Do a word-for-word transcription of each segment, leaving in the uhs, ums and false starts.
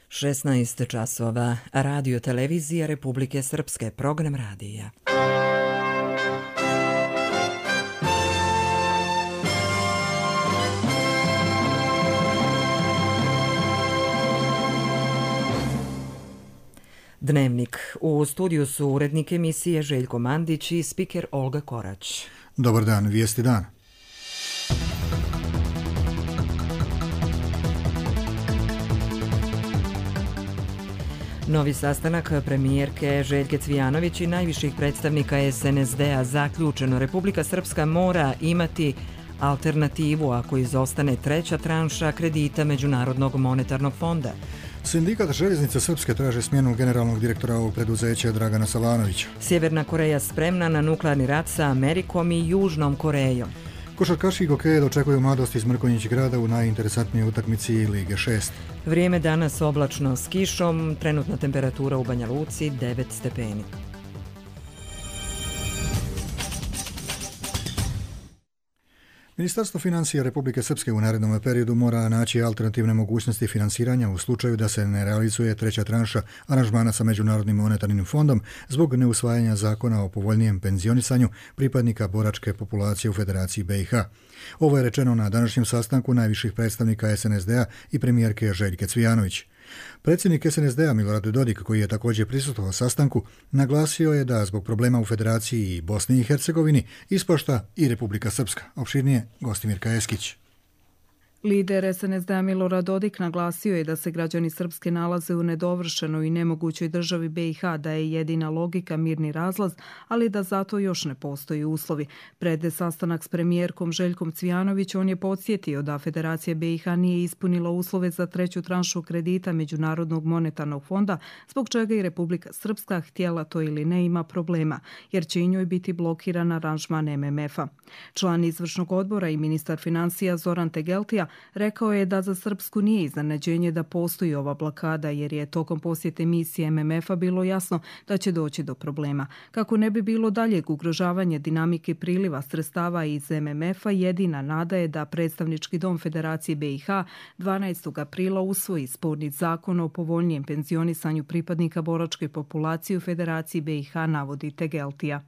šesnaest časova. Radio televizija Republike Srpske. Program radija. Dnevnik. U studiju su urednik emisije Željko Mandić i spiker Olga Korać. Dobar dan, vijesti dan. Novi sastanak premijerke Željke Cvijanović i najviših predstavnika es en es de a zaključeno. Republika Srpska mora imati alternativu ako izostane treća tranša kredita Međunarodnog monetarnog fonda. Sindikat Željeznica Srpske traže smjenu generalnog direktora ovog preduzeća Dragana Savanovića. Sjeverna Koreja spremna na nuklearni rat sa Amerikom i Južnom Korejom. Košarkaši Gokeje dočekuju mladost iz Mrkonjić grada u najinteresantnijoj utakmici Lige šest. Vrijeme danas oblačno s kišom, trenutna temperatura u Banja Luci devet stepeni. Ministarstvo financija Republike Srpske u narednom periodu mora naći alternativne mogućnosti finansiranja u slučaju da se ne realizuje treća tranša aranžmana sa Međunarodnim monetarnim fondom zbog neusvajanja zakona o povoljnijem penzionisanju pripadnika boračke populacije u Federaciji be i ha. Ovo je rečeno na današnjem sastanku najviših predstavnika es en es de a i premijerke Željke Cvijanović. Predsjednik es en es de a Milorad Dodik, koji je također prisustvovao sastanku, naglasio je da zbog problema u Federaciji i Bosni i Hercegovini ispašta i Republika Srpska. Opširnije Gostimirka Eskić. Lider es en es de a Milorad Dodik naglasio je da se građani Srpske nalaze u nedovršenoj i nemogućoj državi be i ha, da je jedina logika mirni razlaz, ali da zato još ne postoji uslovi. Pred sastanak s premijerkom Željkom Cvijanović on je podsjetio da Federacija be i ha nije ispunila uslove za treću tranšu kredita Međunarodnog monetarnog fonda, zbog čega i Republika Srpska, htjela to ili ne, ima problema, jer će i njoj biti blokiran aranžman em em efa. Član izvršnog odbora i ministar financija Zoran Tegeltija rekao je da za Srpsku nije iznenađenje da postoji ova blokada, jer je tokom posjete misije em em efa bilo jasno da će doći do problema. Kako ne bi bilo daljeg ugrožavanja dinamike priliva sredstava iz em em efa, jedina nada je da predstavnički dom Federacije be i ha dvanaestog aprila usvoji sporni zakon o povoljnijem penzionisanju pripadnika boračke populacije u Federaciji be i ha, navodi Tegeltija.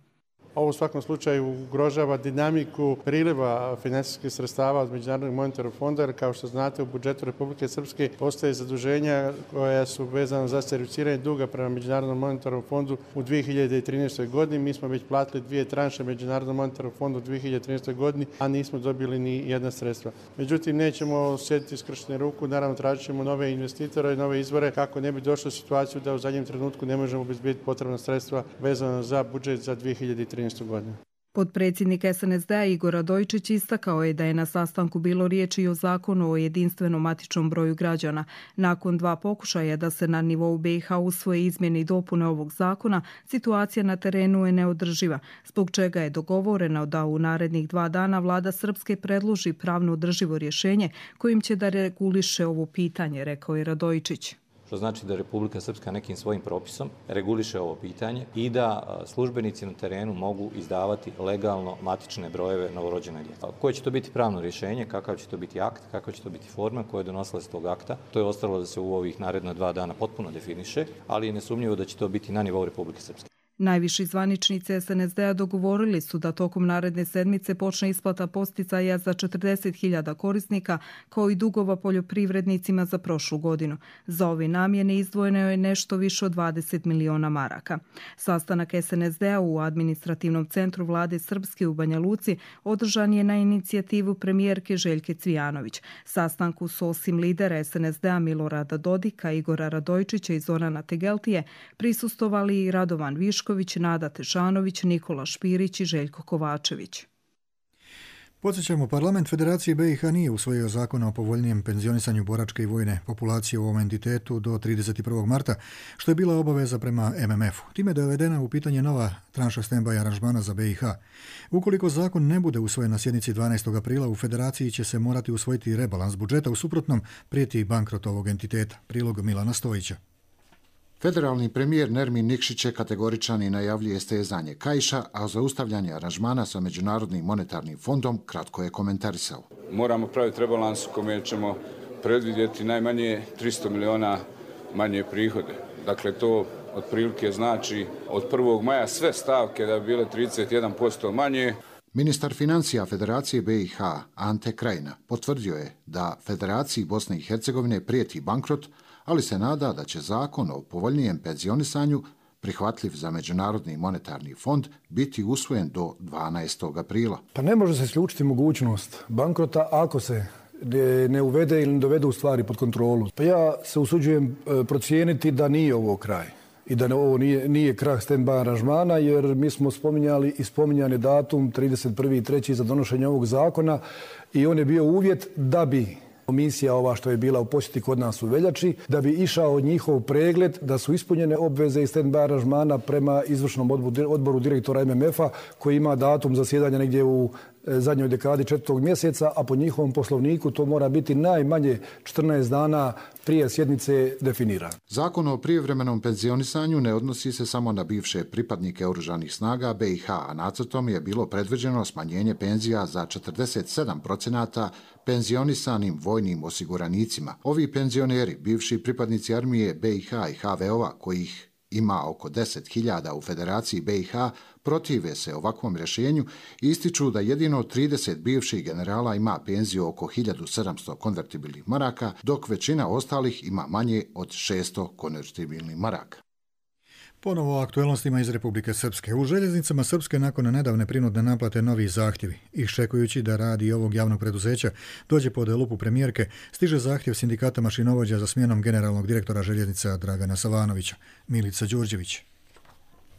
Ovo u svakom slučaju ugrožava dinamiku priliva finansijskih sredstava od Međunarodnog monetarnog fonda, jer kao što znate u budžetu Republike Srpske postoje zaduženja koja su vezana za servisiranje duga prema Međunarodnom monetarnom fondu u dvije hiljade trinaestoj godini. Mi smo već platili dvije tranše Međunarodnom monetarnom fondu u dvije hiljade trinaestoj godini, a nismo dobili ni jedna sredstva. Međutim, nećemo sjediti skršene ruku, naravno tražit ćemo nove investitore i nove izvore kako ne bi došlo u situaciju da u zadnjem trenutku ne možemo obezbediti potrebna sredstva vezana za budžet za dvije hiljade trinaestu. Podpredsjednik es en es de a Igor Radojičić istakao je da je na sastanku bilo riječi i o zakonu o jedinstvenom matičnom broju građana. Nakon dva pokušaja da se na nivou be i ha usvoje izmjene i dopune ovog zakona, situacija na terenu je neodrživa, zbog čega je dogovoreno da u narednih dva dana vlada Srpske predloži pravno održivo rješenje kojim će da reguliše ovo pitanje, rekao je Radojičić. Što znači da Republika Srpska nekim svojim propisom reguliše ovo pitanje i da službenici na terenu mogu izdavati legalno matične brojeve novorođene djece. Koje će to biti pravno rješenje, kakav će to biti akt, kakva će to biti forma koja je donosila iz tog akta, to je ostalo da se u ovih naredna dva dana potpuno definiše, ali je nesumnjivo da će to biti na nivou Republike Srpske. Najviši zvaničnici es en es de a dogovorili su da tokom naredne sedmice počne isplata podsticaja za četrdeset hiljada korisnika, kao i dugova poljoprivrednicima za prošlu godinu. Za ove namjene izdvojeno je nešto više od dvadeset miliona maraka. Sastanak es en es de a u administrativnom centru vlade Srpske u Banja Luci održan je na inicijativu premijerke Željke Cvijanović. Sastanku su osim lidera es en es de a Milorada Dodika, Igora Radojičića i Zorana Tegeltije prisustovali i Radovan Višković, Nada Tešanović, Nikola Špirić i Željko Kovačević. Podsjećamo, parlament Federacije be i ha nije usvojio zakon o povoljnijem penzionisanju boračke i vojne populacije u ovom entitetu do trideset prvog marta, što je bila obaveza prema em em efu. Time je dovedena u pitanje nova tranša stand-by aranžmana za be i ha. Ukoliko zakon ne bude usvojen na sjednici dvanaestog aprila, u Federaciji će se morati usvojiti rebalans budžeta, u suprotnom prijeti bankrot ovog entiteta. Prilog Milana Stojića. Federalni premijer Nermin Nikšić je kategoričan i najavljuje stezanje kaiša, a zaustavljanje aranžmana sa Međunarodnim monetarnim fondom kratko je komentarisao. Moramo praviti rebalans u kome ćemo predvidjeti najmanje tristo miliona manje prihode. Dakle, to otprilike znači od prvog maja sve stavke da bi bile trideset jedan posto manje. Ministar financija Federacije B i H Ante Krajina potvrdio je da Federaciji Bosne i Hercegovine prijeti bankrot, ali se nada da će zakon o povoljnijem penzionisanju, prihvatljiv za Međunarodni monetarni fond, biti usvojen do dvanaestog aprila. Pa ne može se isključiti mogućnost bankrota ako se ne uvede ili ne dovede u stvari pod kontrolu. Pa ja se usuđujem procijeniti da nije ovo kraj i da ovo nije, nije krah stand-by aranžmana, jer mi smo spominjali i spominjan je datum trideset prvi treći za donošenje ovog zakona i on je bio uvjet da bi komisija ova što je bila u posjeti kod nas u veljači, da bi išao njihov pregled, da su ispunjene obveze iz stand-by aranžmana prema izvršnom odboru direktora M M F-a koji ima datum zasjedanja negdje u zadnjoj dekadi četvrtog mjeseca, a po njihovom poslovniku to mora biti najmanje četrnaest dana prije sjednice definira. Zakon o prijevremenom penzionisanju ne odnosi se samo na bivše pripadnike oružanih snaga B i H, a nacrtom je bilo predviđeno smanjenje penzija za četrdeset sedam procenata penzionisanim vojnim osiguranicima. Ovi penzioneri, bivši pripadnici armije B i H i H V O-a, kojih ima oko deset hiljada u Federaciji B i H, protive se ovakvom rješenju i ističu da jedino trideset bivših generala ima penziju oko hiljadu sedamsto konvertibilnih maraka, dok većina ostalih ima manje od šesto konvertibilnih maraka. Ponovo o aktuelnostima iz Republike Srpske. U željeznicama Srpske nakon nedavne prinudne naplate novi zahtjevi. Iščekujući da radi ovog javnog preduzeća dođe pod lupu premijerke, stiže zahtjev sindikata mašinovođa za smjenom generalnog direktora željeznica Dragana Savanovića. Milica Đurđević.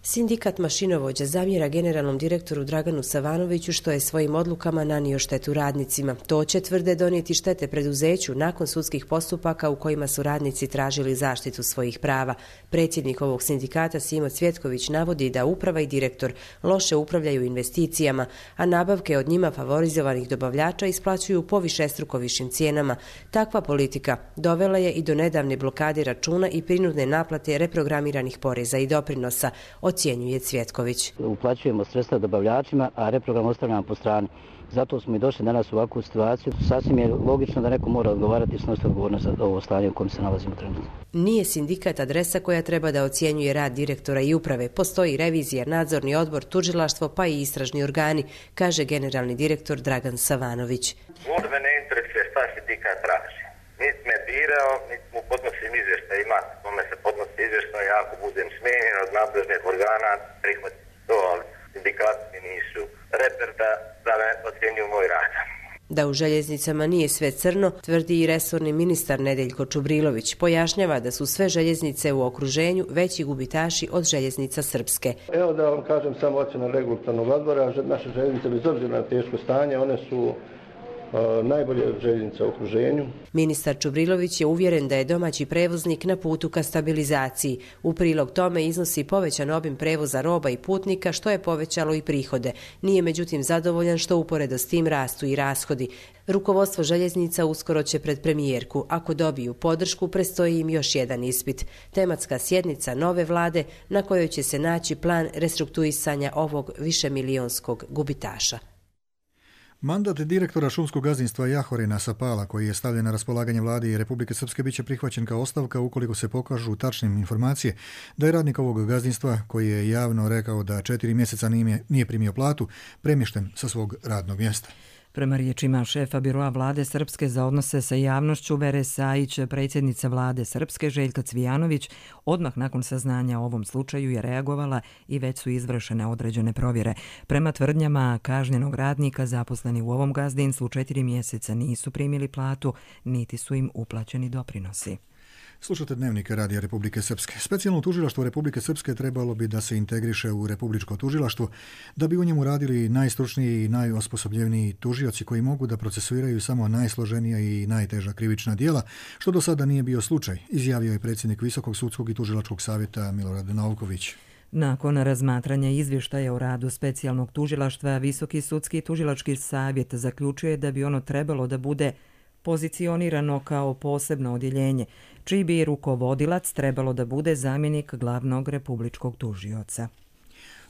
Sindikat mašinovođa zamjera generalnom direktoru Draganu Savanoviću što je svojim odlukama nanio štetu radnicima. To će, tvrde, donijeti štete preduzeću nakon sudskih postupaka u kojima su radnici tražili zaštitu svojih prava. Predsjednik ovog sindikata Simo Cvjetković navodi da uprava i direktor loše upravljaju investicijama, a nabavke od njima favorizovanih dobavljača isplaćuju po višestruko višim cijenama. Takva politika dovela je i do nedavne blokade računa i prinudne naplate reprogramiranih poreza i doprinosa, ocjenjuje Cvjetković. Uplaćujemo sredstva dobavljačima, a reprogram ostavljamo po strani. Zato smo i došli danas u ovakvu situaciju. Sasvim je logično da neko mora odgovarati i snositi odgovornost za ovo stanje u kojem se nalazimo trenutno. Nije sindikat adresa koja treba da ocjenjuje rad direktora i uprave. Postoji revizija, nadzorni odbor, tužilaštvo pa i istražni organi, kaže generalni direktor Dragan Savanović. Možda me ne interesuje šta sindikat traži. Niti me birao, niti mu podnosim izvještaj, ima kome se podnosi izvještaj, ja ako budem smijenjen od nadležnih organa, prihvatim to, ali sindikati mi nisu reper da, da me ocjenjuju moj rad. Da u željeznicama nije sve crno, tvrdi i resorni ministar Nedeljko Čubrilović. Pojašnjava da su sve željeznice u okruženju veći gubitaši od željeznica Srpske. Evo da vam kažem samo ocjena regulatornog odbora, naše željeznice bez obzira na teško stanje, one su najbolje željeznice u okruženju. Ministar Čubrilović je uvjeren da je domaći prevoznik na putu ka stabilizaciji. U prilog tome iznosi povećan obim prevoza roba i putnika, što je povećalo i prihode. Nije međutim zadovoljan što uporedo s tim rastu i rashodi. Rukovodstvo željeznica uskoro će pred premijerku. Ako dobiju podršku, prestoji im još jedan ispit. Tematska sjednica nove vlade na kojoj će se naći plan restrukturisanja ovog višemilijonskog gubitaša. Mandat direktora šumskog gazdinstva Jahorina Sapala, koji je stavljen na raspolaganje vladi Republike Srpske, biće prihvaćen kao ostavka ukoliko se pokažu tačnim informacije da je radnik ovog gazdinstva, koji je javno rekao da četiri mjeseca nije, nije primio platu, premješten sa svog radnog mjesta. Prema riječima šefa biroa vlade Srpske za odnose sa javnošću Vere Sajić, predsjednica vlade Srpske Željka Cvijanović odmah nakon saznanja o ovom slučaju je reagovala i već su izvršene određene provjere. Prema tvrdnjama kažnjenog radnika zaposleni u ovom gazdinstvu četiri mjeseca nisu primili platu, niti su im uplaćeni doprinosi. Slušate Dnevnik Radija Republike Srpske. Specijalno tužilaštvo Republike Srpske trebalo bi da se integriše u Republičko tužilaštvo, da bi u njemu radili najstručniji i najosposobljeniji tužioci koji mogu da procesuiraju samo najsloženija i najteža krivična djela, što do sada nije bio slučaj, izjavio je predsjednik Visokog sudskog i tužilačkog savjeta Milorad Novković. Nakon razmatranja izvještaja o radu specijalnog tužilaštva, Visoki sudski i tužilački savjet zaključuje da bi ono trebalo da bude pozicionirano kao posebno odjeljenje, čiji bi rukovodilac trebalo da bude zamjenik glavnog republičkog tužioca.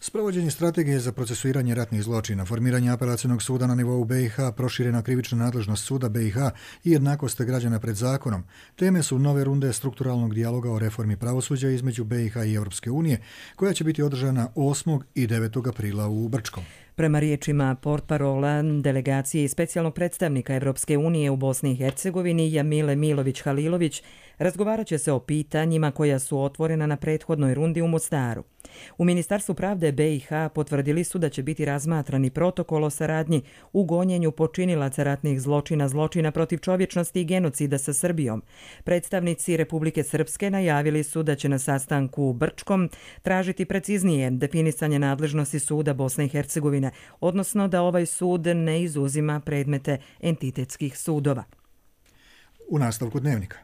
Sprovođenje strategije za procesuiranje ratnih zločina, formiranje apelacionog suda na nivou B i H, proširena krivična nadležnost suda B i H i jednakost građana pred zakonom. Teme su nove runde strukturalnog dijaloga o reformi pravosuđa između B i H i Europske unije, koja će biti održana osmog i devetog aprila u Brčkom. Prema riječima portparola delegacije i specijalnog predstavnika Europske unije u Bosni i Hercegovini Jamile Milović-Halilović, razgovarat će se o pitanjima koja su otvorena na prethodnoj rundi u Mostaru. U Ministarstvu pravde B i H potvrdili su da će biti razmatrani protokol o saradnji u gonjenju počinilaca ratnih zločina, zločina protiv čovječnosti i genocida sa Srbijom. Predstavnici Republike Srpske najavili su da će na sastanku u Brčkom tražiti preciznije definisanje nadležnosti suda Bosne i Hercegovine, odnosno da ovaj sud ne izuzima predmete entitetskih sudova. U nastavku dnevnika.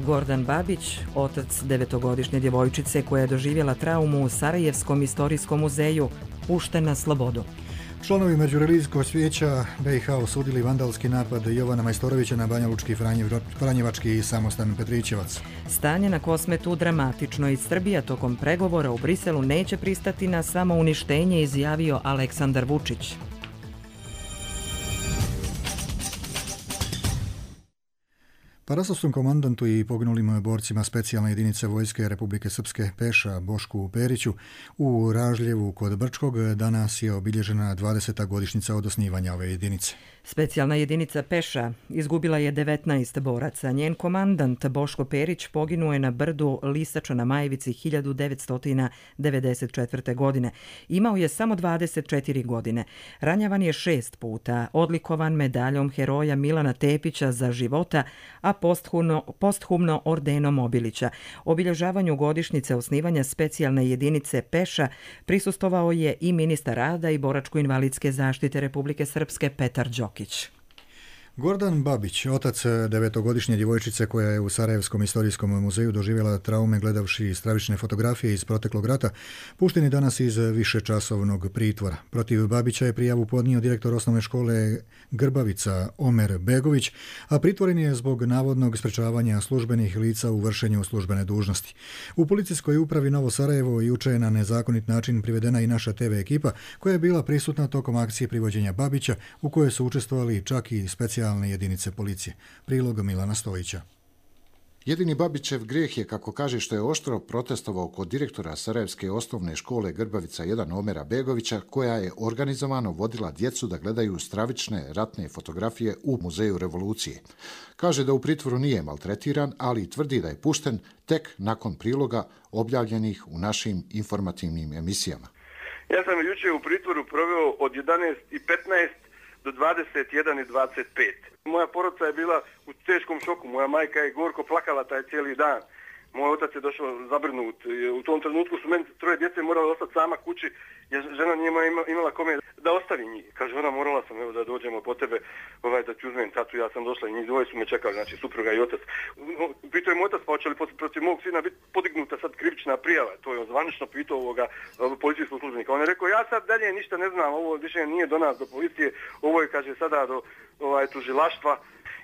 Gordan Babić, otac devetogodišnje djevojčice koja je doživjela traumu u Sarajevskom istorijskom muzeju, pušten na slobodu. Članovi Međureligijskog vijeća B i H osudili vandalski napad Jovana Majstorovića na Banjalučki Franjevački samostan Petrićevac. Stanje na Kosmetu dramatično i Srbija tokom pregovora u Briselu neće pristati na samouništenje, izjavio Aleksandar Vučić. Parasovskom komandantu i poginulim borcima specijalne jedinice Vojske Republike Srpske Peša Bošku Periću u Ražljevu kod Brčkog danas je obilježena dvadeseta godišnjica od osnivanja ove jedinice. Specijalna jedinica Peša izgubila je devetnaest boraca. Njen komandant Boško Perić poginuo je na brdu Lisača na Majevici hiljadu devetsto devedeset četvrte. godine. Imao je samo dvadeset četiri godine. Ranjavan je šest puta, odlikovan medaljom heroja Milana Tepića za života, a posthumno, posthumno ordenom Obilića. Obilježavanju godišnjice osnivanja specijalne jedinice Peša prisustvovao je i ministar rada i boračko-invalidske zaštite Republike Srpske Petar Đokić. Gordan Babić, otac devetogodišnje djevojčice koja je u Sarajevskom istorijskom muzeju doživjela traume gledavši stravične fotografije iz proteklog rata, pušten je danas iz višečasovnog pritvora. Protiv Babića je prijavu podnio direktor osnovne škole Grbavica Omer Begović, a pritvoren je zbog navodnog sprečavanja službenih lica u vršenju službene dužnosti. U policijskoj upravi Novo Sarajevo juče je na nezakonit način privedena i naša te ve ekipa koja je bila prisutna tokom akcije privođenja Babića, u kojoj su učestvovali čak i specijalni jedinice policije. Prilog Milana Stojića. Jedini Babićev grijeh je, kako kaže, što je oštro protestovao kod direktora Sarajevske osnovne škole Grbavica jedan Omera Begovića, koja je organizovano vodila djecu da gledaju stravične ratne fotografije u Muzeju revolucije. Kaže da u pritvoru nije maltretiran, ali tvrdi da je pušten tek nakon priloga objavljenih u našim informativnim emisijama. Ja sam jučer u pritvoru proveo od jedanaest i petnaest do dvadeset jedan i dvadeset pet. Moja porodica je bila u teškom šoku, moja majka je gorko plakala taj cijeli dan. Moj otac je došao zabrinut. U tom trenutku su meni troje djece morali ostati sama kući, jer žena nije imala kome da ostavi njih. Kaže, ona, morala sam evo, da dođemo po tebe, ovaj, da ti uzmem tatu, ja sam došla i njih dvoje su me čekali, znači supruga i otac. Pitao je moj otac, pa hoće li protiv mog sina biti podignuta sad krivična prijava. To je on zvanično pitao ovoga policijskog službenika. On je rekao, ja sad dalje ništa ne znam, ovo više nije do nas, do policije, ovo je, kaže, sada do ovaj, tužilaštva.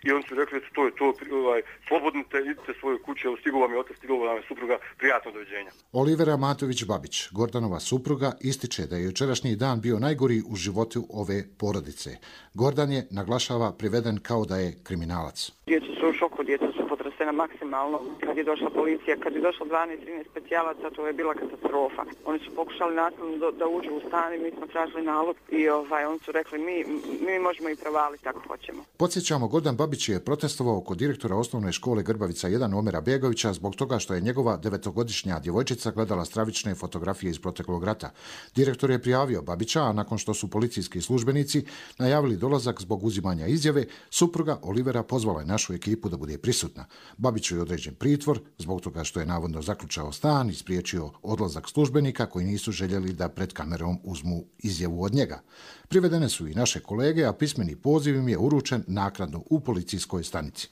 I oni su rekli, to je to, ovaj, slobodnite, idite svoje kuće, stigao vam je otac, stigao vam je supruga, prijatno doviđenja. Olivera Matović-Babić, Gordanova supruga, ističe da je jučerašnji dan bio najgori u životu ove porodice. Gordan je, naglašava, priveden kao da je kriminalac. Djeca su u šoku, djeca su potresena maksimalno. Kad je došla policija, kad je došlo dvanaest trinaest specijalaca, to je bila katastrofa. Oni su pokušali nasilno da, da uđu u stan i mi smo tražili nalog i ovaj, oni su rekli mi, mi možemo i prevaliti ako hoćemo. Podsjećamo, Gordan Babić je protestovao kod direktora osnovne škole Grbavica jedan Omera Begovića zbog toga što je njegova devetogodišnja djevojčica gledala stravične fotografije iz proteklog rata. Direktor je prijavio Babića, a nakon što su policijski službenici najavili dolazak zbog uzimanja izjave, supruga Olivera pozvala je našu ekipu da bude prisutna. Babiću je određen pritvor zbog toga što je navodno zaključao stan i spriječio odlazak službenika koji nisu željeli da pred kamerom uzmu izjavu od njega. Privedene su i naše kolege, a pismeni poziv im je uručen naknadno u policijskoj stanici.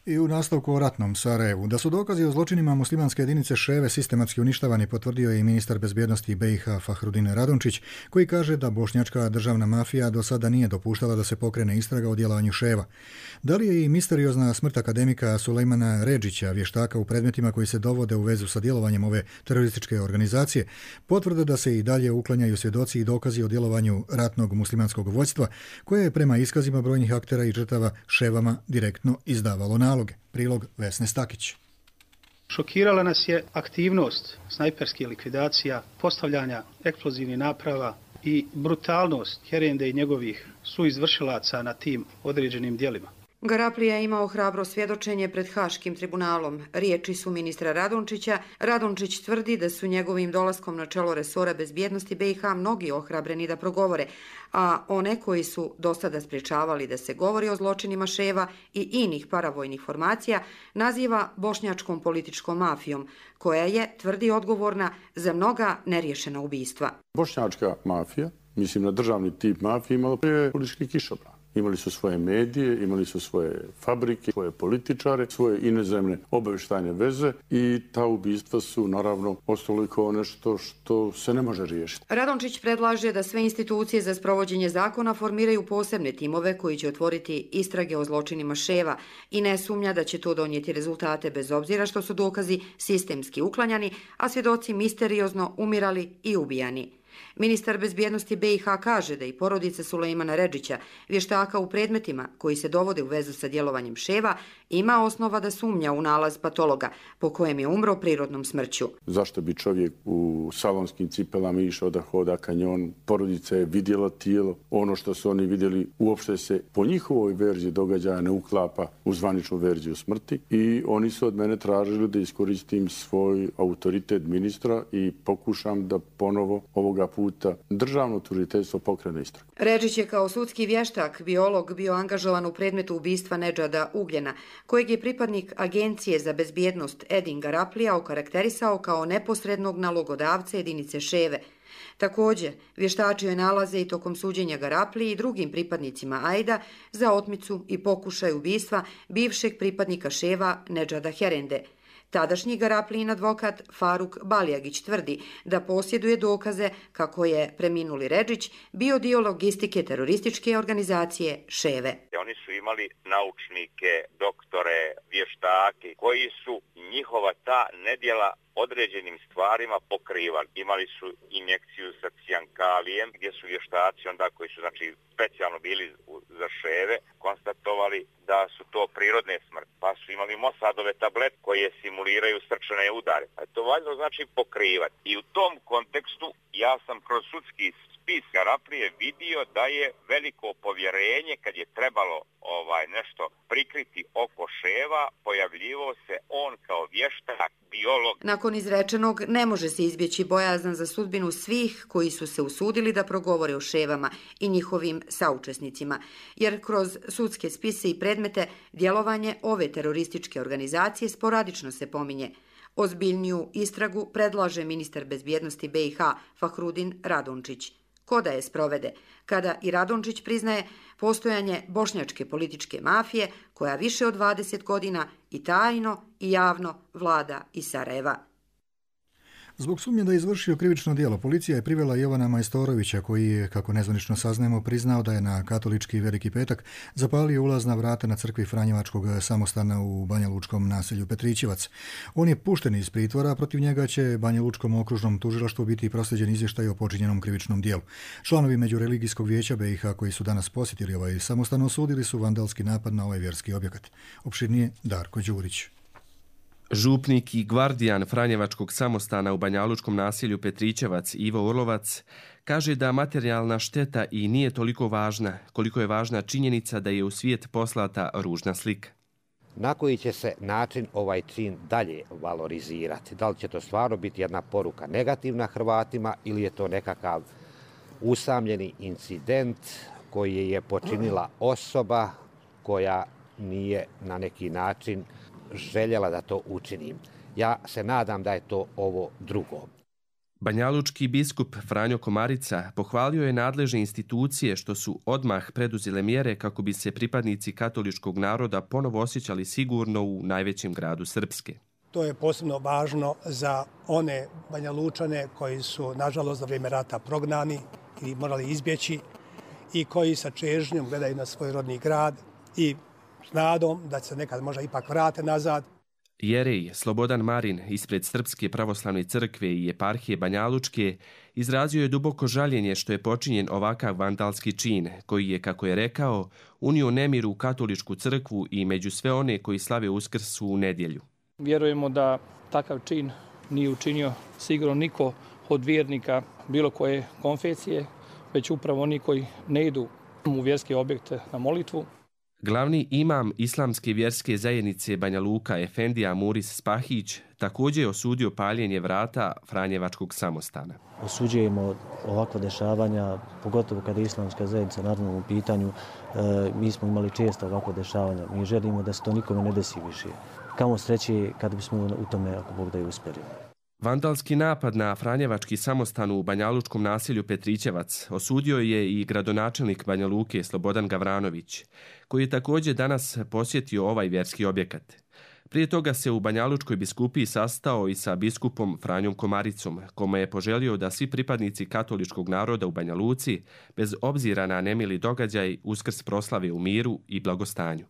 I u nastavku o ratnom Sarajevu. Da su dokazi o zločinima muslimanske jedinice Ševe sistematski uništavani potvrdio je i ministar bezbjednosti B i H Fahrudin Radončić, koji kaže da bošnjačka državna mafija do sada nije dopuštala da se pokrene istraga o djelovanju Ševa. Da li je i misteriozna smrt akademika Sulejmana Redžića, vještaka u predmetima koji se dovode u vezu sa djelovanjem ove terorističke organizacije, potvrda da se i dalje uklanjaju svjedoci i dokazi o djelovanju ratnog muslimanskog vođstva, koje je prema iskazima brojnih aktera i žrtava Ševama direktno izdavalo naloge. Prilog Vesne Stakić. Šokirala nas je aktivnost snajperskih likvidacija, postavljanja eksplozivnih naprava i brutalnost Herende i njegovih suizvršilaca na tim određenim djelima. Garaplija je imao hrabro svjedočenje pred Haškim tribunalom. Riječi su ministra Radončića. Radončić tvrdi da su njegovim dolaskom na čelo resora bezbjednosti B i H mnogi ohrabreni da progovore, a one koji su do sada spriječavali da se govori o zločinima Ševa i inih paravojnih formacija naziva bošnjačkom političkom mafijom, koja je, tvrdi, odgovorna za mnoga neriješena ubistva. Bošnjačka mafija, mislim na državni tip mafije, imala prije politički kišobran. Imali su svoje medije, imali su svoje fabrike, svoje političare, svoje inozemne obavještajne veze i ta ubistva su naravno ostalo kao nešto što se ne može riješiti. Radončić predlaže da sve institucije za sprovođenje zakona formiraju posebne timove koji će otvoriti istrage o zločinima Ševa i ne sumnja da će to donijeti rezultate bez obzira što su dokazi sistemski uklanjani, a svjedoci misteriozno umirali i ubijani. Ministar bezbjednosti B i H kaže da i porodica Sulejmana Redžića, vještaka u predmetima koji se dovode u vezu sa djelovanjem Ševa, ima osnova da sumnja u nalaz patologa po kojem je umro prirodnom smrću. Zašto bi čovjek u salonskim cipelama išao da hoda kanjon? Porodica je vidjela tijelo. Ono što su oni vidjeli uopšte se po njihovoj verziji događaja ne uklapa u zvaničnu verziju smrti i oni su od mene tražili da iskoristim svoj autoritet ministra i pokušam da ponovo ovoga puta državno tužiteljstvo pokrene istragu. Redžić je kao sudski vještak, biolog, bio angažovan u predmetu ubistva Nedžada Ugljena, kojeg je pripadnik Agencije za bezbjednost Edin Garaplija okarakterisao kao neposrednog nalogodavca jedinice Ševe. Također, vještačio je nalaze i tokom suđenja Garapliji i drugim pripadnicima Ajda za otmicu i pokušaj ubistva bivšeg pripadnika Ševa Nedžada Herende. Tadašnji Garaplijin advokat Faruk Balijagić tvrdi da posjeduje dokaze kako je preminuli Redžić bio dio logistike terorističke organizacije Ševe. Oni su imali naučnike, doktore, vještake koji su njihova ta nedjela određenim stvarima pokrivali. Imali su injekciju sa cijankalijem gdje su vještaci onda koji su znači specijalno bili za Ševe konstatovali da su to prirodne smrti. Pa su imali Mossadove tablete koje simuliraju srčane udare. Pa je to valjno znači pokrivati. I u tom kontekstu ja sam kroz sudski spis Garaplije vidio da je veliko povjerenje kad je trebalo ovaj nešto prikriti oko Ševa, pojavljivao se on kao vještak, biolog. Nakon izrečenog ne može se izbjeći bojazan za sudbinu svih koji su se usudili da progovore o Ševama i njihovim saučesnicima, jer kroz sudske spise i predmete djelovanje ove terorističke organizacije sporadično se pominje. Ozbiljniju istragu predlaže ministar bezbjednosti B i H Fahrudin Radončić. Ko da je sprovede, kada i Radončić priznaje postojanje bošnjačke političke mafije koja više od dvadeset godina i tajno i javno vlada iz Sarajeva. Zbog sumnje da je izvršio krivično djelo, policija je privela Jovana Majstorovića, koji je, kako nezvanično saznajemo, priznao da je na katolički Veliki petak zapalio ulazna vrata na crkvi Franjevačkog samostana u banjalučkom naselju Petrićevac. On je pušten iz pritvora, a protiv njega će Banjalučkom okružnom tužilaštvu biti proslijeđen izvještaj o počinjenom krivičnom djelu. Članovi Međureligijskog vijeća B i H koji su danas posjetili ovaj samostan osudili su vandalski napad na ovaj vjerski objekat. Opširnije Darko Đurić. Župnik i gvardijan Franjevačkog samostana u banjalučkom naselju Petrićevac Ivo Orlovac kaže da materijalna šteta i nije toliko važna koliko je važna činjenica da je u svijet poslata ružna slika. Na koji će se način ovaj čin dalje valorizirati? Da li će to stvarno biti jedna poruka negativna Hrvatima ili je to nekakav usamljeni incident koji je počinila osoba koja nije na neki način željela da to učinim. Ja se nadam da je to ovo drugo. Banjalučki biskup Franjo Komarica pohvalio je nadležne institucije što su odmah preduzele mjere kako bi se pripadnici katoličkog naroda ponovo osjećali sigurno u najvećem gradu Srpske. To je posebno važno za one Banjalučane koji su, nažalost, za vrijeme rata prognani i morali izbjeći i koji sa čežnjom gledaju na svoj rodni grad i s nadom da se nekad možda ipak vrate nazad. Jerej Slobodan Marin ispred Srpske pravoslavne crkve i eparhije Banjalučke izrazio je duboko žaljenje što je počinjen ovakav vandalski čin, koji je, kako je rekao, unio nemir u katoličku crkvu i među sve one koji slave Uskrs u nedjelju. Vjerujemo da takav čin nije učinio sigurno niko od vjernika bilo koje konfesije, već upravo oni koji ne idu u vjerske objekte na molitvu. Glavni imam islamske vjerske zajednice Banja Luka Efendija Muris Spahić također je osudio paljenje vrata Franjevačkog samostana. Osuđujemo ovakva dešavanja, pogotovo kada je islamska zajednica naravno u pitanju. E, mi smo imali često ovakva dešavanja. Mi želimo da se to nikome ne desi više. Kamo sreće kada bismo u tome, ako Bog da je uspjeli. Vandalski napad na Franjevački samostan u banjalučkom naselju Petrićevac osudio je i gradonačelnik Banja Luke Slobodan Gavranović, koji je također danas posjetio ovaj vjerski objekat. Prije toga se u Banjalučkoj biskupiji sastao i sa biskupom Franjom Komaricom, kome je poželio da svi pripadnici katoličkog naroda u Banja Luci, bez obzira na nemili događaj, Uskrs proslave u miru i blagostanju.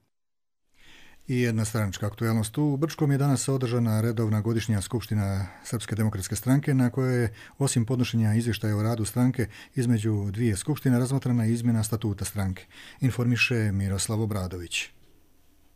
I jedna stranačka aktualnost. U Brčkom je danas održana redovna godišnja skupština Srpske demokratske stranke na kojoj je, osim podnošenja izvještaja o radu stranke, između dvije skupštine razmatrana izmjena statuta stranke. Informiše Miroslav Obradović.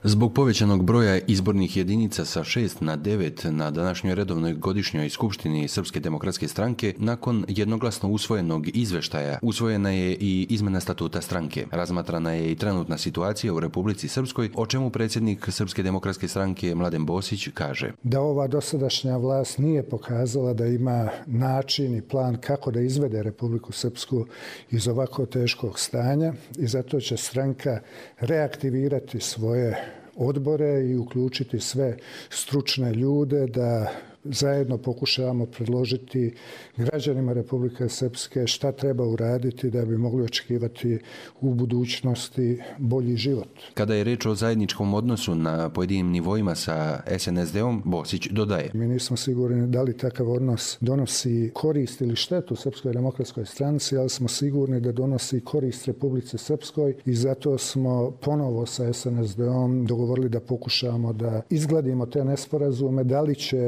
Zbog povećanog broja izbornih jedinica sa šest na devet na današnjoj redovnoj godišnjoj skupštini Srpske demokratske stranke, nakon jednoglasno usvojenog izveštaja, usvojena je i izmjena statuta stranke. Razmatrana je i trenutna situacija u Republici Srpskoj, o čemu predsjednik Srpske demokratske stranke Mladen Bosić kaže. Da ova dosadašnja vlast nije pokazala da ima način i plan kako da izvede Republiku Srpsku iz ovako teškog stanja i zato će stranka reaktivirati svoje odbore i uključiti sve stručne ljude da zajedno pokušavamo predložiti građanima Republike Srpske šta treba uraditi da bi mogli očekivati u budućnosti bolji život. Kada je reč o zajedničkom odnosu na pojedinim nivoima sa es en es de-om, Bosić dodaje. Mi nismo sigurni da li takav odnos donosi korist ili štetu Srpskoj demokratskoj stranci, ali smo sigurni da donosi korist Republici Srpskoj i zato smo ponovo sa es en es de-om dogovorili da pokušamo da izgladimo te nesporazume, da li će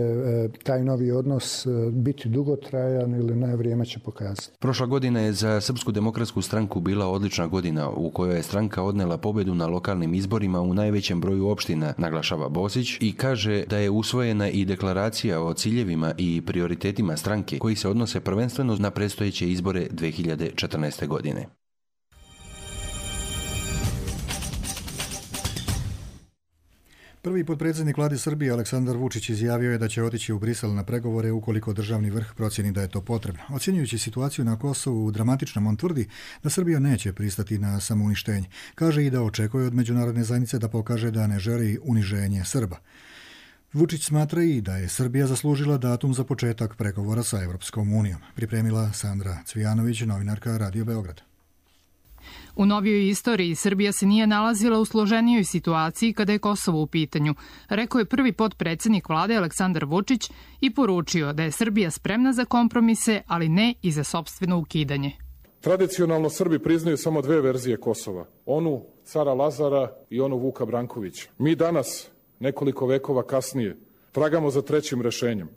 taj novi odnos biti dugotrajan ili ne, vrijeme će pokazati. Prošla godina je za Srpsku demokratsku stranku bila odlična godina u kojoj je stranka odnela pobjedu na lokalnim izborima u najvećem broju opština, naglašava Bosić i kaže da je usvojena i deklaracija o ciljevima i prioritetima stranke koji se odnose prvenstveno na predstojeće izbore dve hiljade četrnaeste. godine. Prvi potpredsjednik vlade Srbije Aleksandar Vučić izjavio je da će otići u Brisel na pregovore ukoliko državni vrh procjeni da je to potrebno. Ocjenjujući situaciju na Kosovu dramatičnom, on tvrdi da Srbija neće pristati na samouništenje. Kaže i da očekuje od međunarodne zajednice da pokaže da ne želi uniženje Srba. Vučić smatra i da je Srbija zaslužila datum za početak pregovora sa Evropskom unijom. Pripremila Sandra Cvijanović, novinarka Radio Beograd. U novijoj istoriji Srbija se nije nalazila u složenijoj situaciji kada je Kosovo u pitanju, rekao je prvi potpredsjednik vlade Aleksandar Vučić i poručio da je Srbija spremna za kompromise, ali ne i za sopstveno ukidanje. Tradicionalno Srbi priznaju samo dve verzije Kosova, onu cara Lazara i onu Vuka Brankovića. Mi danas, nekoliko vekova kasnije, tragamo za trećim rešenjem.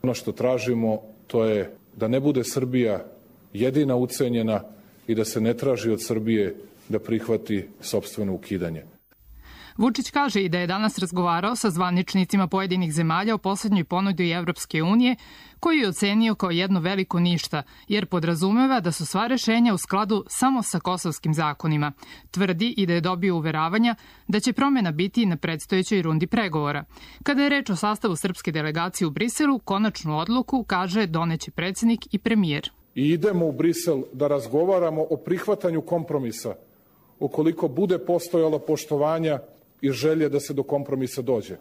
Ono što tražimo to je da ne bude Srbija jedina ucenjena i da se ne traži od Srbije da prihvati sopstveno ukidanje. Vučić kaže i da je danas razgovarao sa zvaničnicima pojedinih zemalja o poslednjoj ponudi Evropske unije, koji je ocenio kao jedno veliko ništa, jer podrazumeva da su sva rešenja u skladu samo sa kosovskim zakonima. Tvrdi i da je dobio uveravanja da će promjena biti na predstojećoj rundi pregovora. Kada je reč o sastavu srpske delegacije u Briselu, konačnu odluku, kaže, doneće predsjednik i premijer. I idemo u Brisel da razgovaramo o prihvatanju kompromisa, ukoliko bude postojalo poštovanja i želje da se do kompromisa dođe.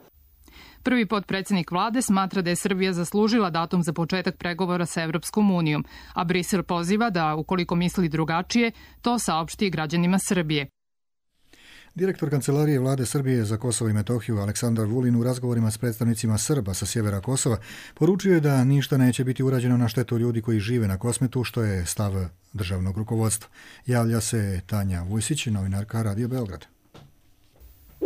Prvi potpredsjednik vlade smatra da je Srbija zaslužila datum za početak pregovora sa Evropskom unijom, a Brisel poziva da, ukoliko misli drugačije, to saopšti građanima Srbije. Direktor Kancelarije vlade Srbije za Kosovo i Metohiju Aleksandar Vulin u razgovorima s predstavnicima Srba sa sjevera Kosova poručio je da ništa neće biti urađeno na štetu ljudi koji žive na Kosmetu, što je stav državnog rukovodstva. Javlja se Tanja Vujsić, novinarka Radio Beograd.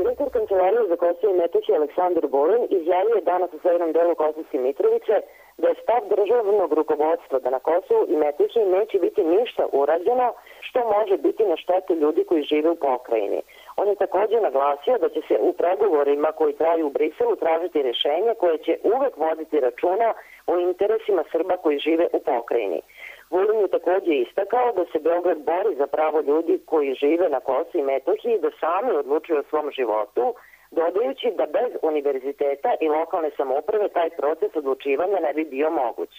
Direktor Kancelarije za Kosovo i Metohiju Aleksandar Vulin izjavio je danas u severnom delu Kosovske Mitrovice da je stav državnog rukovodstva da na Kosovu i Metohiji neće biti ništa urađeno što može biti na štetu ljudi koji žive u pokrajini. On je također naglasio da će se u pregovorima koji traju u Briselu tražiti rješenje koje će uvek voditi računa o interesima Srba koji žive u pokrajini. Vulin je također istakao da se Beograd bori za pravo ljudi koji žive na Kosovu i Metohiji da sami odlučuju o svom životu, dodajući da bez univerziteta i lokalne samouprave taj proces odlučivanja ne bi bio moguć.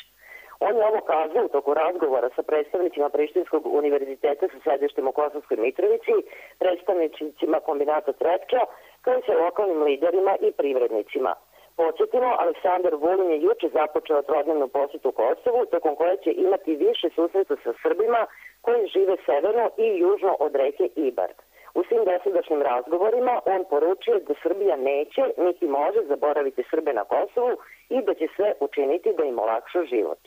On je ovo kazao u toku razgovora sa predstavnicima Prištinskog univerziteta sa sedištem u Kosovskoj Mitrovici, predstavnicima kombinata Trepča, kao i sa lokalnim liderima i privrednicima. Podsjetimo, Aleksandar Vulin je juče započeo trodnevnu posjetu Kosovu, tokom koje će imati više susreta sa Srbima koji žive severno i južno od reke Ibar. U svim dosadašnjim razgovorima on poručuje da Srbija neće niti može zaboraviti Srbe na Kosovu i da će sve učiniti da im olakša život.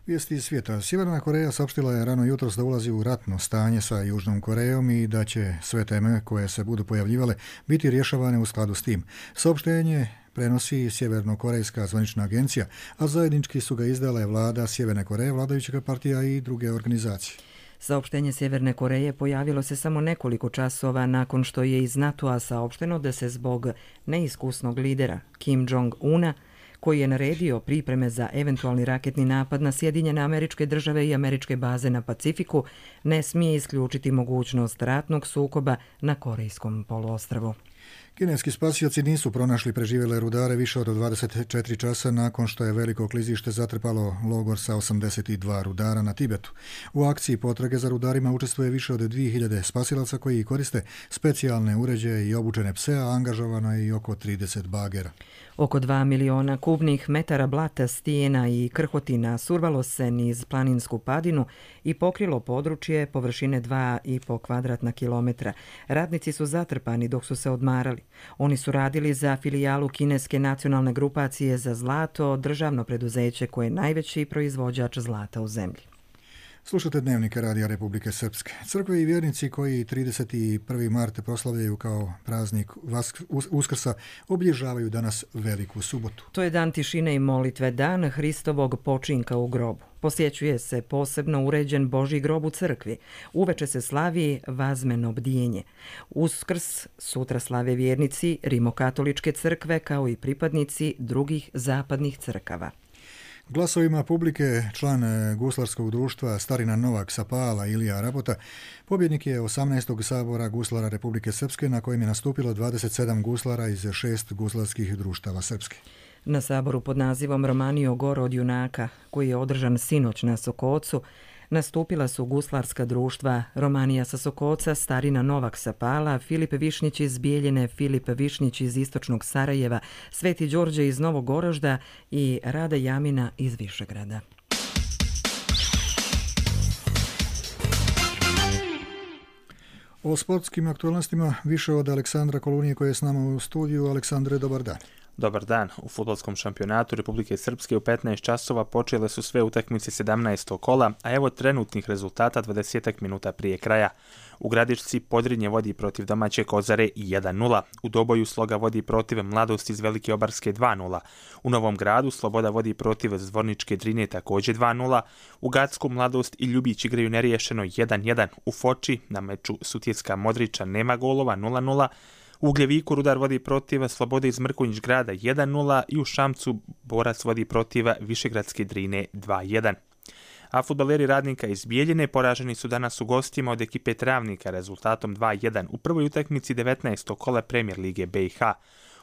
Vijesti iz svijeta. Sjeverna Koreja saopštila je rano jutros da ulazi u ratno stanje sa Južnom Korejom i da će sve teme koje se budu pojavljivale biti rješavane u skladu s tim. Saopštenje prenosi Sjevernokorejska zvanična agencija, a zajednički su ga izdale vlada Sjeverne Koreje, vladajuća partija i druge organizacije. Saopštenje Sjeverne Koreje pojavilo se samo nekoliko časova nakon što je iz NATO-a saopšteno da se zbog neiskusnog lidera Kim Jong-una, koji je naredio pripreme za eventualni raketni napad na Sjedinjene Američke Države i američke baze na Pacifiku, ne smije isključiti mogućnost ratnog sukoba na Korejskom poluostrvu. Kineski spasioci nisu pronašli preživjele rudare više od dvadeset četiri časa nakon što je veliko klizište zatrpalo logor sa osamdeset dva rudara na Tibetu. U akciji potrage za rudarima učestvuje više od dvije hiljade spasilaca koji koriste specijalne uređaje i obučene pse, a angažovano je i oko trideset bagera. Oko dva miliona kubnih metara blata, stijena i krhotina survalo se niz planinsku padinu i pokrilo područje površine dva i po kvadratna kilometra. Radnici su zatrpani dok su se odmarali. Oni su radili za filijalu Kineske nacionalne grupacije za zlato, državno preduzeće koje je najveći proizvođač zlata u zemlji. Slušate Dnevnike Radija Republike Srpske. Crkve i vjernici koji trideset prvi mart proslavljaju kao praznik Uskrsa obilježavaju danas Veliku subotu. To je dan tišine i molitve, dan Hristovog počinka u grobu. Posjećuje se posebno uređen Božji grob u crkvi. Uveče se slavi vazmeno bdijenje. Uskrs sutra slave vjernici Rimokatoličke crkve kao i pripadnici drugih zapadnih crkava. Glasovima publike član guslarskog društva Starina Novak Sapala Ilija Rabota pobjednik je osamnaestog sabora guslara Republike Srpske na kojem je nastupilo dvadeset sedam guslara iz šest guslarskih društava Srpske. Na saboru pod nazivom Romanio Goro od junaka, koji je održan sinoć na Sokocu, nastupila su guslarska društva Romanija sa Sokoca, Starina Novak Sapala, Filip Višnjić iz Bijeljine, Filip Višnjić iz istočnog Sarajeva, Sveti Đorđe iz Novog Orožda i Rada Jamina iz Višegrada. O sportskim aktualnostima više od Aleksandra Kolunije koji je s nama u studiju. Aleksandre, dobar dan. Dobar dan. U fudbalskom šampionatu Republike Srpske u petnaest časova počele su sve utakmice sedamnaestog kola, a evo trenutnih rezultata dvadeset minuta prije kraja. U Gradišci Podrinje vodi protiv domaće Kozare jedan nula. U Doboju Sloga vodi protiv Mladosti iz Velike Obarske dva nula. U Novom Gradu Sloboda vodi protiv Zvorničke Drine također dva nula. U Gacku Mladost i Ljubić igraju neriješeno jedan jedan. U Foči na meču Sutjeska Modrića nema golova nula nula. U Ugljeviku Rudar vodi protiv Slobode iz Mrkonjić Grada jedan nula i u Šamcu Borac vodi protiv Višegradske Drine dva jedan. A fudbaleri Radnika iz Bijeljine poraženi su danas u gostima od ekipe Travnika rezultatom dva jedan u prvoj utakmici devetnaestog kola Premijer Lige B i H.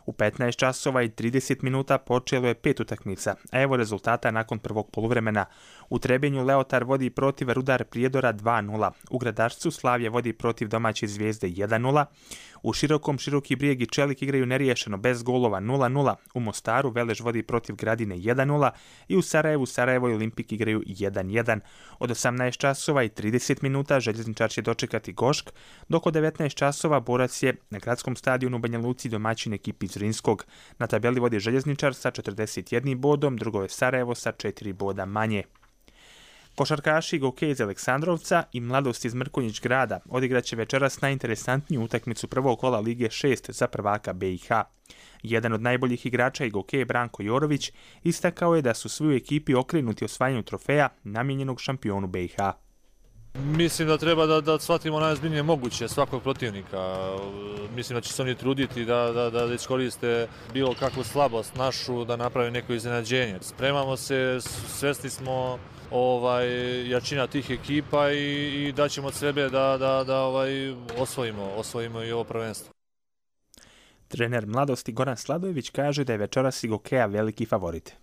U petnaest časova i trideset minuta počelo je pet utakmica, a evo rezultata nakon prvog poluvremena. U Trebinju Leotar vodi protiv Rudar Prijedora dva nula. U Gradačcu Slavija vodi protiv domaće Zvijezde jedan nula. U Širokom Široki Brijeg i Čelik igraju neriješeno bez golova nula nula. U Mostaru Velež vodi protiv Gradine jedan nula i u Sarajevu Sarajevo i Olimpik igraju jedan jedan. Od osamnaest časova i trideset minuta Željezničar će dočekati Gošk, dok od devetnaest časova Borac je na gradskom stadionu u Banja Luci domaćin ekipi Zrinskog. Na tabeli vodi Željezničar sa četrdeset jednim bodom, drugo je Sarajevo sa četiri boda manje. Košarkaši Gokej iz Aleksandrovca i Mladost iz Mrkonjić grada odigraće večeras najinteresantniju utakmicu prvog kola Lige šest za prvaka B i H. Jedan od najboljih igrača i Gokej Branko Jorović istakao je da su svi u ekipi okrenuti osvajanju trofeja namijenjenog šampionu B i H. Mislim da treba da, da shvatimo najozbiljnije moguće svakog protivnika. Mislim da će se oni truditi da, da, da iskoriste bilo kakvu slabost našu, da napravi neko iznenađenje. Spremamo se, svesni smo ovaj, jačina tih ekipa i, i daćemo od sebe da, da, da ovaj, osvojimo, osvojimo i ovo prvenstvo. Trener Mladosti Goran Sladojević kaže da je večeras i Gokeja veliki favorit.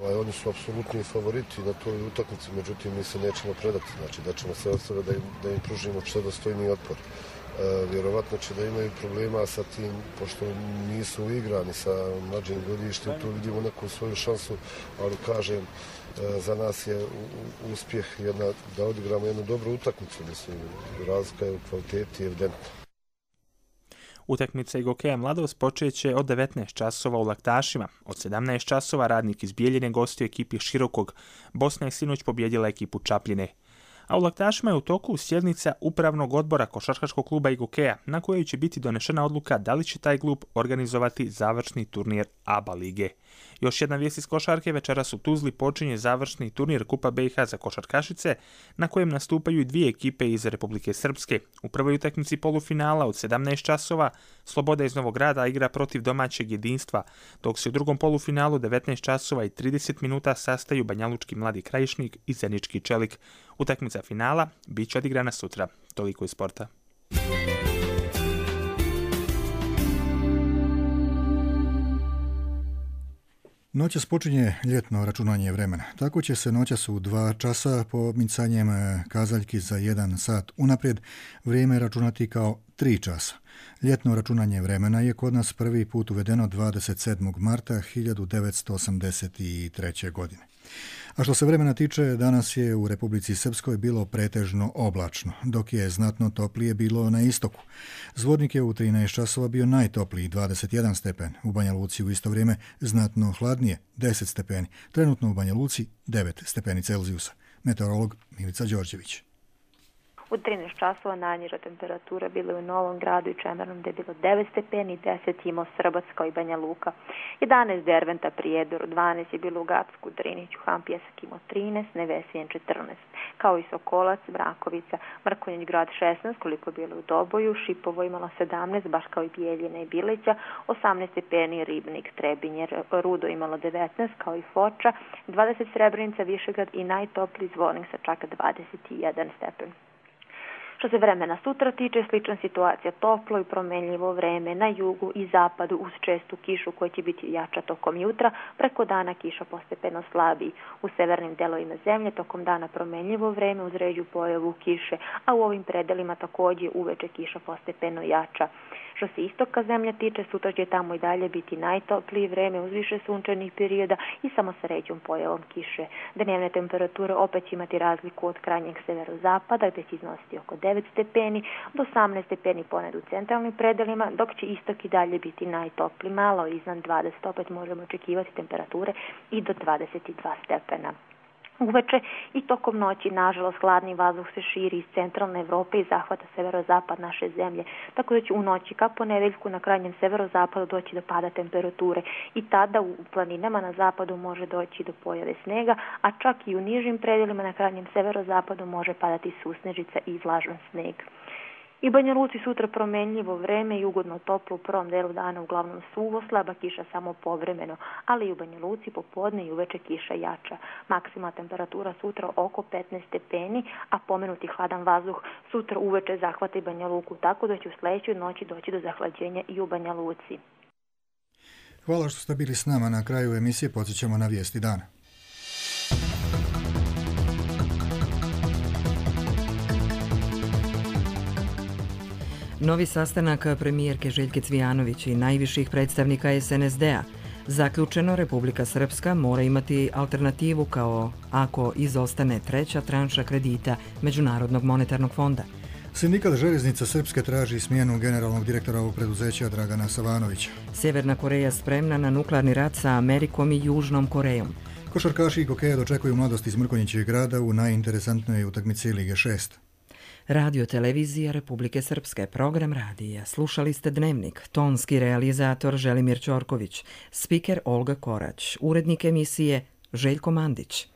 Ovaj, oni su apsolutni favoriti na toj utakmici, međutim mi se nećemo predati, znači da ćemo sve od sebe da im, da im pružimo što dostojniji otpor. E, vjerovatno će da imaju problema sa tim, pošto nisu igrani sa mlađim godištem, tu vidimo neku svoju šansu, ali kažem, e, za nas je u, uspjeh jedna, da odigramo jednu dobru utakmicu, mislim, razlika je u kvaliteti evidentna. Utakmica Gokeja Mladost počeće od devetnaest časova u Laktašima. Od sedamnaest časova Radnik iz Bijeljine gostuje ekipi Širokog. Bosna je sinoć pobjedila ekipu Čapljine. A u Laktašima je u toku sjednica upravnog odbora košarkaškog kluba Gokeja, na kojoj će biti donešena odluka da li će taj klub organizovati završni turnir A B A lige. Još jedna vijest iz košarke, večeras u Tuzli počinje završni turnir Kupa B i H za košarkašice, na kojem nastupaju i dvije ekipe iz Republike Srpske. U prvoj utakmici polufinala od sedamnaest časova Sloboda iz Novog Grada igra protiv domaćeg Jedinstva, dok se u drugom polufinalu devetnaest časova i trideset minuta sastaju Banjalučki Mladi Krajišnik i Zenički Čelik. Utakmica finala bit će odigrana sutra. Toliko iz sporta. Noćas počinje ljetno računanje vremena. Tako će se noćas u dva časa pomicanjem kazaljki za jedan sat unaprijed vrijeme računati kao tri časa. Ljetno računanje vremena je kod nas prvi put uvedeno dvadeset sedmog marta hiljadu devetsto osamdeset treće. godine. A što se vremena tiče, danas je u Republici Srpskoj bilo pretežno oblačno, dok je znatno toplije bilo na istoku. Zvornik je u trinaest časova bio najtopliji, dvadeset jedan stepen. U Banja Luci u isto vrijeme znatno hladnije, deset stepeni. Trenutno u Banja Luci devet stepeni Celzijusa. Meteorolog Milica Đorđević. U trinaest časova najniža temperatura bila je u Novom Gradu i Čemernom, gdje je bilo devet stepeni, deset imao Srbac kao i Banja Luka, jedanaest Derventa Prijedoru, dvanaest je bilo u Gacku, Driniću, Hampjesak imao trinaest, Nevesijen četrnaest, kao i Sokolac, Brakovica, Mrkonjić grad šesnaest, koliko je bilo u Doboju, Šipovo imalo sedamnaest, baš kao i Bijeljina i Bileća, osamnaest stepeni Ribnik, Trebinje, Rudo imalo devetnaest, kao i Foča, dvadeset Srebrenica, Višegrad i najtopliji Zvornik sa čak dvadeset jedan stepen. Što se vremena sutra tiče, slična situacija, toplo i promenljivo vreme na jugu i zapadu uz čestu kišu koja će biti jača tokom jutra, preko dana kiša postepeno slabiji. U severnim delovima zemlje tokom dana promenljivo vreme uz ređu pojavu kiše, a u ovim predelima također uveče kiša postepeno jača. Što se istoka zemlje tiče, sutra će tamo i dalje biti najtoplije vreme uz više sunčanih perioda i samo sa ređom pojavom kiše. Dnevne temperature opet će imati razliku od krajnjeg severozapada, gdje će iznositi oko devet stepeni do osamnaest stepeni ponad u centralnim predelima, dok će istok i dalje biti najtopliji, malo iznad dvadeset, opet možemo očekivati temperature i do dvadeset dva stepena. Uveče i tokom noći, nažalost, hladni vazduh se širi iz centralne Evrope i zahvata severozapad naše zemlje, tako da će u noći ka ponedeljku na krajnjem severozapadu doći do pada temperature i tada u planinama na zapadu može doći do pojave snega, a čak i u nižim predelima na krajnjem severozapadu može padati susnežica i vlažan sneg. I Banja Luci sutra promenljivo vreme i ugodno toplo u prvom delu dana, uglavnom suvo, slaba kiša samo povremeno, ali i u Banja Luci popodne i uveče kiša jača. Maksimalna temperatura sutra oko petnaest stepeni, a pomenuti hladan vazduh sutra uveče zahvata i Banja Luku, tako da će u sljedećoj noći doći do zahlađenja i u Banja Luci. Hvala što ste bili s nama. Na kraju emisije podsjećamo na vijesti dana. Novi sastanak premijerke Željke Cvijanović i najviših predstavnika es en es de-a. Zaključeno, Republika Srpska mora imati alternativu kao ako izostane treća tranša kredita Međunarodnog monetarnog fonda. Sindikat Željeznica Srpske traži smjenu generalnog direktora ovog preduzeća Dragana Savanovića. Sjeverna Koreja spremna na nuklearni rat sa Amerikom i Južnom Korejom. Košarkaši i kokeja dočekuju mladost iz Mrkonjićeg grada u najinteresantnoj utakmici Lige šest. Radio televizija Republike Srpske, program radija. Slušali ste Dnevnik, tonski realizator Želimir Ćorković, spiker Olga Korać, urednik emisije Željko Mandić.